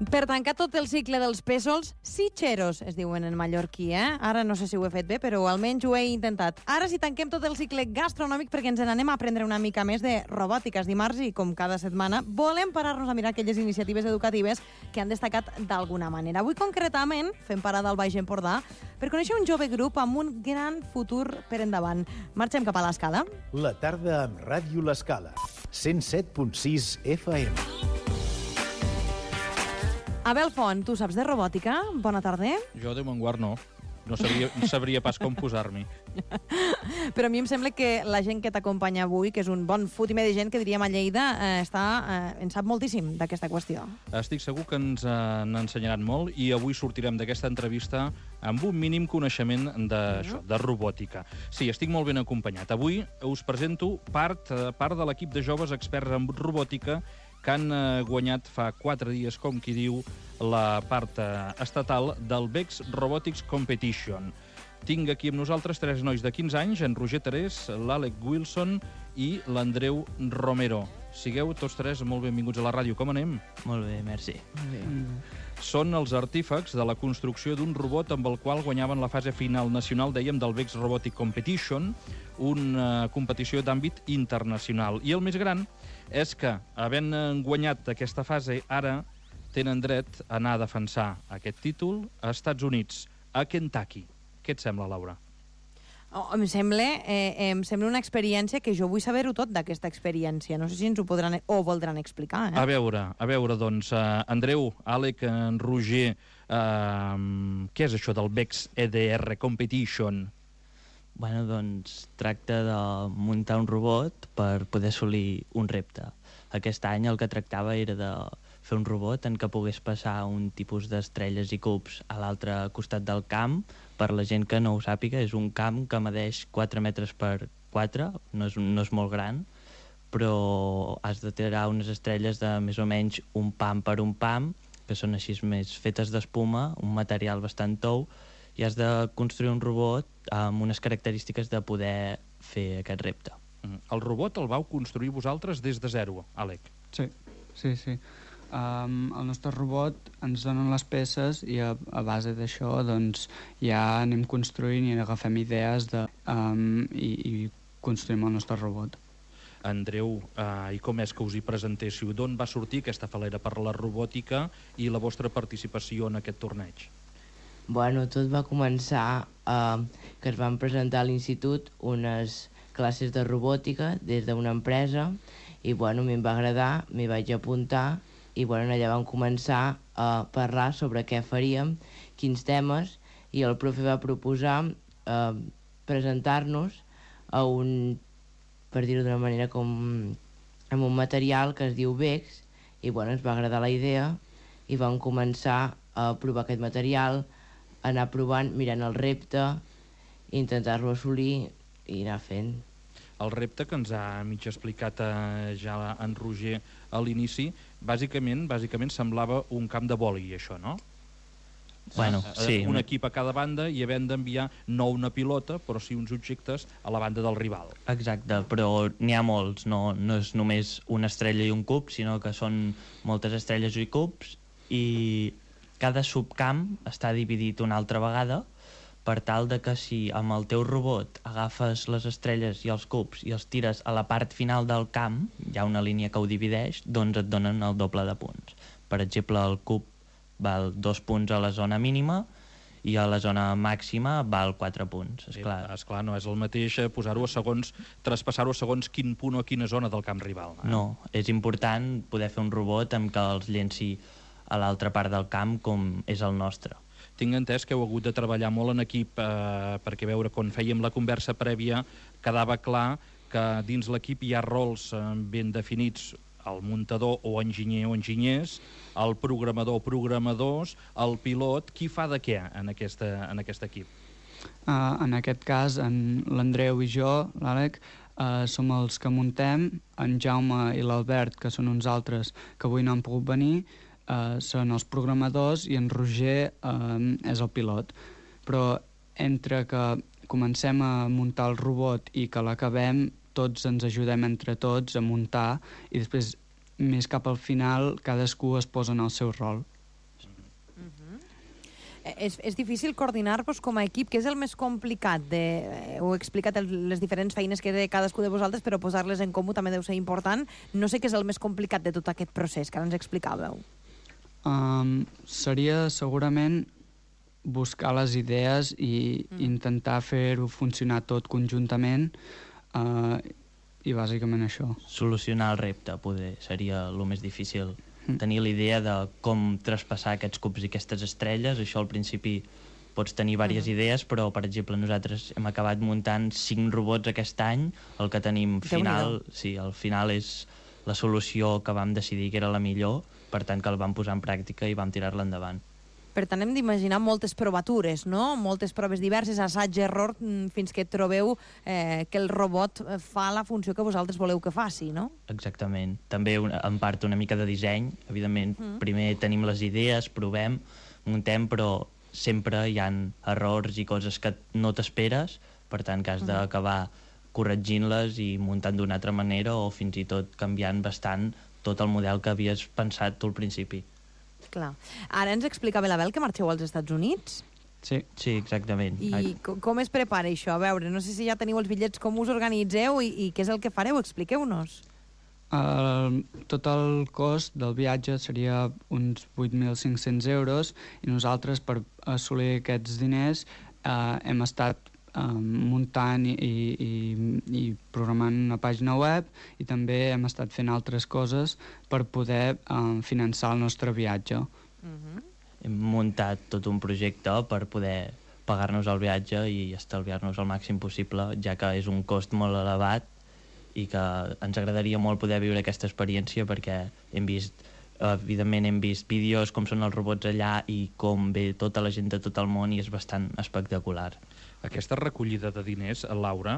Per tancar tot el cicle dels pèsols, sitxeros, es diuen en mallorquí, Ara no sé si ho he fet bé, però almenys ho he intentat. Ara sí tanquem tot el cicle gastronòmic perquè ens n'anem a aprendre una mica més de robòtica. És dimarts i, com cada setmana, volem parar-nos a mirar aquelles iniciatives educatives que han destacat d'alguna manera. Avui, concretament, fem parada al Baix Empordà per conèixer un jove grup amb un gran futur per endavant. Marxem cap a l'Escala. La tarda amb Ràdio L'Escala. 107.6 FM. Abel Font, tu saps de robòtica? Bona tarda. Jo de Montguard no. No sabria pas com posar-m'hi. Però a mi em sembla que la gent que t'acompanya avui, que és un bon fotimer de gent, que diríem a Lleida, en sap moltíssim d'aquesta qüestió. Estic segur que ens n'ensenyaran molt i avui sortirem d'aquesta entrevista amb un mínim coneixement d'això, de robòtica. Sí, estic molt ben acompanyat. Avui us presento part de l'equip de joves experts en robòtica que han guanyat fa 4 dies, com qui diu, la part estatal del VEX Robotics Competition. Tinc aquí amb nosaltres 3 nois de 15 anys, en Roger Terés, l'Àlex Wilson i l'Andreu Romero. Sigueu tots 3 molt benvinguts a la ràdio. Com anem? Molt bé, merci. Són els artífecs de la construcció d'un robot amb el qual guanyaven la fase final nacional, dèiem, del VEX Robotic Competition, una competició d'àmbit internacional. I el més gran és que, havent guanyat aquesta fase, ara tenen dret a anar a defensar aquest títol a Estats Units, a Kentucky. Què et sembla, Laura? Em sembla una experiència que jo vull saber-ho tot d'aquesta experiència. No sé si ens ho podran o voldran explicar. A veure, doncs, Andreu, Àlex, en Roger, què és això del VEX EDR Competition? Bueno, doncs tracta de muntar un robot per poder assolir un repte. Aquest any el que tractava era de fer un robot en què pogués passar un tipus d'estrelles i cubs a l'altre costat del camp. Per la gent que no ho sàpiga, és un camp que medeix 4 metres per 4, no és molt gran, però has de tirar unes estrelles de més o menys un pam per un pam, que són així més fetes d'espuma, un material bastant tou, i has de construir un robot amb unes característiques de poder fer aquest repte. El robot el vau construir vosaltres des de zero, Àlex? Sí. El nostre robot ens donen les peces i a base d'això doncs, ja anem construint i agafem idees i construïm el nostre robot. Andreu, i com és que us hi presentéssiu? D'on va sortir aquesta falera per la robòtica i la vostra participació en aquest torneig? Bueno, tot va començar que es van presentar a l'institut unes classes de robòtica des d'una empresa i bueno, a mi em va agradar, m'hi vaig apuntar i bueno, allà vam començar a parlar sobre què faríem, quins temes, i el profe va proposar presentar-nos a per dir-ho d'una manera, amb un material que es diu VEX, i bueno, ens va agradar la idea i vam començar a provar aquest material, anar provant, mirant el repte, intentar-lo assolir i anar fent. El repte que ens ha mig explicat ja en Roger a l'inici, bàsicament semblava un camp de vòlei, això, no? Bueno, sí. Un equip a cada banda i havent d'enviar no una pilota, però sí uns objectes a la banda del rival. Exacte, però n'hi ha molts, no és només una estrella i un cub, sinó que són moltes estrelles i cubs, i cada subcamp està dividit una altra vegada per tal de que si amb el teu robot agafes les estrelles i els cubs i els tires a la part final del camp, hi ha una línia que ho divideix, doncs et donen el doble de punts. Per exemple, el cub val 2 punts a la zona mínima i a la zona màxima val 4 punts, Esclar, no és el mateix posar-ho a segons, traspassar-ho a segons quin punt o quina zona del camp rival. No, és important poder fer un robot amb que els llenci a l'altra part del camp com és el nostre. Tinc entès que heu hagut de treballar molt en equip perquè veure quan fèiem la conversa prèvia quedava clar que dins l'equip hi ha rols ben definits, el muntador o enginyer o enginyers, el programador o programadors, el pilot. Qui fa de què en aquest equip? En aquest cas, l'Andreu i jo, l'Àlex, som els que muntem, en Jaume i l'Albert, que són uns altres que avui no han pogut venir, són els programadors i en Roger és el pilot. Però entre que comencem a muntar el robot i que l'acabem, tots ens ajudem entre tots a muntar i després, més cap al final, cadascú es posa en el seu rol. És difícil coordinar-vos com a equip, que és el més complicat heu explicat les diferents feines que té cadascú de vosaltres, però posar-les en comú també deu ser important. No sé què és el més complicat de tot aquest procés que ara ens explicàveu. Seria segurament buscar les idees i intentar fer-ho funcionar tot conjuntament, i bàsicament això. Solucionar el repte seria el més difícil. Tenir la idea de com traspassar aquests cubs i aquestes estrelles. Això al principi pots tenir diverses idees, però per exemple nosaltres hem acabat muntant 5 robots aquest any. El que tenim final, al final és la solució que vam decidir que era la millor, per tant que el vam posar en pràctica i vam tirar-la endavant. Per tant, hem d'imaginar moltes provatures, no? Moltes proves diverses, assaig-error, fins que trobeu que el robot fa la funció que vosaltres voleu que faci, no? Exactament. També en part una mica de disseny. Evidentment, primer tenim les idees, provem, muntem, però sempre hi ha errors i coses que no t'esperes, per tant que has d'acabar corregint-les i muntant d'una altra manera o fins i tot canviant bastant tot el model que havies pensat tu al principi. Clar. Ara ens explicava la Bel que marxeu als Estats Units. Sí, exactament. I com es prepara això? A veure, no sé si ja teniu els bitllets, com us organitzeu i què és el que fareu? Expliqueu-nos. Tot el cost del viatge seria uns 8.500 euros i nosaltres, per assolir aquests diners, hem estat muntant i programant una pàgina web i també hem estat fent altres coses per poder finançar el nostre viatge. Hem muntat tot un projecte per poder pagar-nos el viatge i estalviar-nos el màxim possible, ja que és un cost molt elevat i que ens agradaria molt poder viure aquesta experiència perquè evidentment hem vist vídeos com són els robots allà i com ve tota la gent de tot el món i és bastant espectacular. Aquesta recollida de diners, Laura,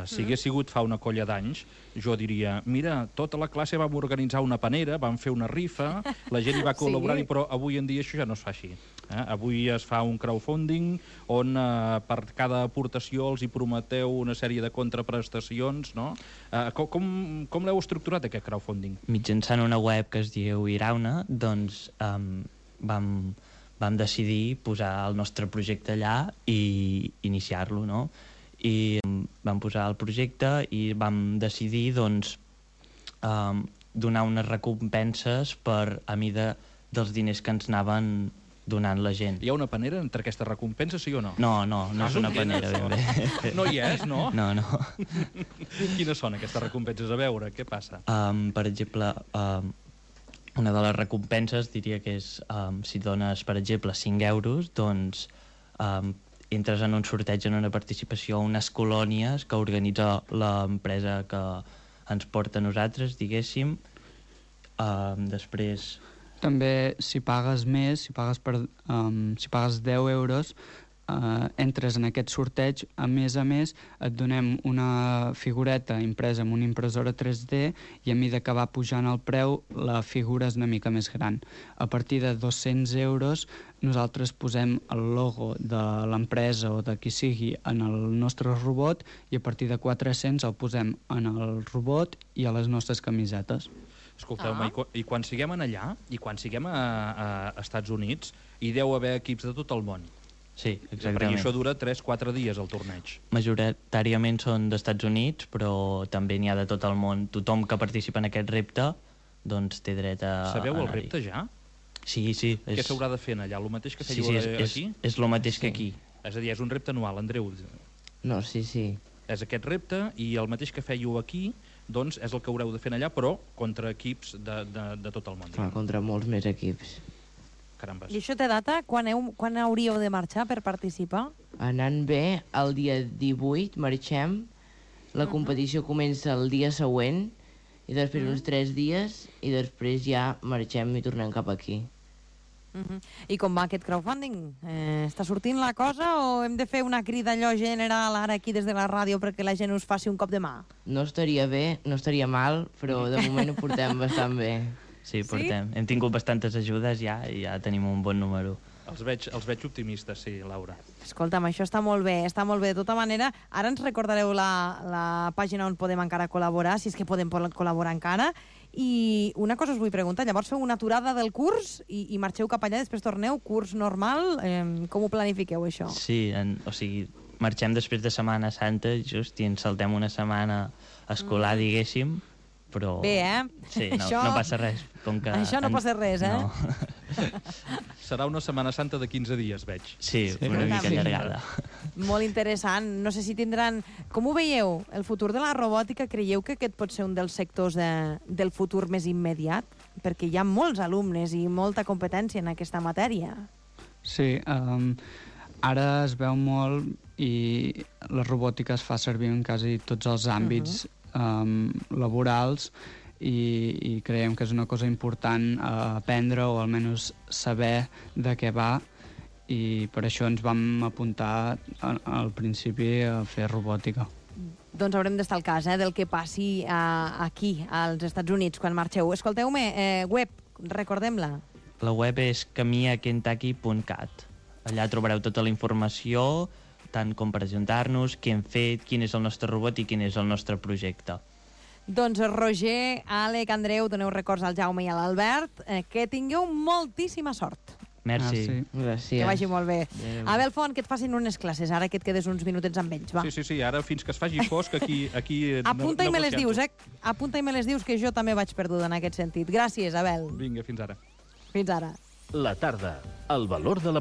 si hagués sigut fa una colla d'anys, jo diria, mira, tota la classe vam organitzar una panera, vam fer una rifa, la gent hi va col·laborar-hi, però avui en dia això ja no es fa així. Avui es fa un crowdfunding on per cada aportació els hi prometeu una sèrie de contraprestacions, no? Com l'heu estructurat, aquest crowdfunding? Mitjançant una web que es diu Irauna, doncs vam decidir posar el nostre projecte allà i iniciar-lo, no? I vam posar el projecte i vam decidir, doncs, donar unes recompenses a mida dels diners que ens anaven donant la gent. Hi ha una panera entre aquestes recompenses, sí o no? No és una panera, ben bé. No hi és, no? No. Quines són aquestes recompenses? A veure, què passa? Per exemple, una de les recompenses diria que és si dones, per exemple, 5 euros, doncs entres en un sorteig, en una participació a unes colònies que organitza l'empresa que ens porta a nosaltres, diguéssim. Després... També, si pagues més, si pagues 10 euros, entres en aquest sorteig, a més, et donem una figureta impresa amb una impressora 3D i a mesura que va pujant el preu, la figura és una mica més gran. A partir de 200 euros, nosaltres posem el logo de l'empresa o de qui sigui en el nostre robot i a partir de 400 el posem en el robot i a les nostres camisetes. Escolteu-me, i quan siguem allà, i quan siguem a Estats Units, hi deu haver equips de tot el món. Sí, exactament. Perquè això dura 3-4 dies, el torneig. Majoritàriament són d'Estats Units, però també n'hi ha de tot el món. Tothom que participa en aquest repte doncs té dret a anar-hi. Sabeu el repte ja? Sí. Què s'haurà de fer allà? El mateix que fèieu aquí? És el mateix que aquí. És a dir, és un repte anual, Andreu. No, sí. És aquest repte i el mateix que fèieu aquí doncs és el que haureu de fer allà, però contra equips de tot el món. Contra molts més equips. Carambes. I això té data? Quan hauríeu de marxar per participar? Anant bé, el dia 18 marxem, la competició comença el dia següent, i després uns 3 dies, i després ja marxem i tornem cap aquí. I com va aquest crowdfunding? Està sortint la cosa o hem de fer una crida allò general ara aquí des de la ràdio perquè la gent us faci un cop de mà? No estaria bé, no estaria mal, però de moment ho portem bastant bé. Sí, portem. Hem tingut bastantes ajudes ja i ja tenim un bon número. Els veig optimistes, sí, Laura. Escolta'm, això està molt bé, està molt bé. De tota manera, ara ens recordareu la pàgina on podem encara col·laborar, si és que podem col·laborar encara. I una cosa us vull preguntar, llavors feu una aturada del curs i marxeu cap allà, després torneu, curs normal, com ho planifiqueu, això? Sí, o sigui, marxem després de Setmana Santa, just, i ens saltem una setmana escolar, diguéssim, però... Bé, Sí, no passa res. Com que Això no passa res, No. Serà una Setmana Santa de 15 dies, veig. Sí, una mica allargada. Molt interessant. No sé si tindran... Com ho veieu? El futur de la robòtica, creieu que aquest pot ser un dels sectors del futur més immediat? Perquè hi ha molts alumnes i molta competència en aquesta matèria. Sí, ara es veu molt i la robòtica es fa servir en quasi tots els àmbits laborals i creiem que és una cosa important a aprendre o almenys saber de què va, i per això ens vam apuntar al principi a fer robòtica. Doncs haurem d'estar al cas del que passi aquí, als Estats Units, quan marxeu. Escolteu-me, web, recordem-la. La web és camiakentucky.cat. Allà trobareu tota la informació, tant com presentar-nos, què hem fet, quin és el nostre robot i quin és el nostre projecte. Doncs Roger, Àlec, Andreu, doneu records al Jaume i a l'Albert. Que tingueu moltíssima sort. Merci. Sí. Gràcies. Que vagi molt bé. Adéu. Abel Font, que et facin unes classes, ara que et quedes uns minutets amb ells, va. Sí, ara fins que es faci fosc, aquí Apunta i me les dius, negociant-ho. Apunta i me les dius, que jo també vaig perduda en aquest sentit. Gràcies, Abel. Vinga, fins ara. Fins ara. La tarda, el valor de la